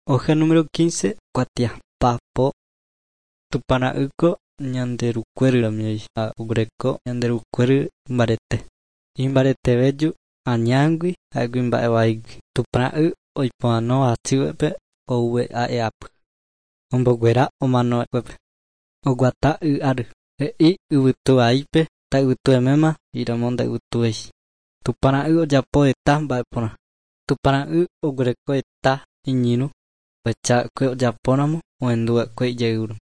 Hoja número 15, kuatia papo. Tupãra'ýko Ñanderukuéryramiei ha oguereko Ñanderukuéry mbarete. Imbaretevéju añágui ha'égui mba'evaígui. Tupãra'y oipohãno hasývape ouve'a'e'ápy. Omboguera omanova'ekuépe. Oguata y áry. He'i yvytu vaípe ta'yvytueméma he'íramo nda'yvytuvéi. Tupãra'y ojapo heta mba'e porã. Tupãra'y oguereko heta iñirũ ohechava'ekue ojapóramo ohenduva'ekue ijayvúramo.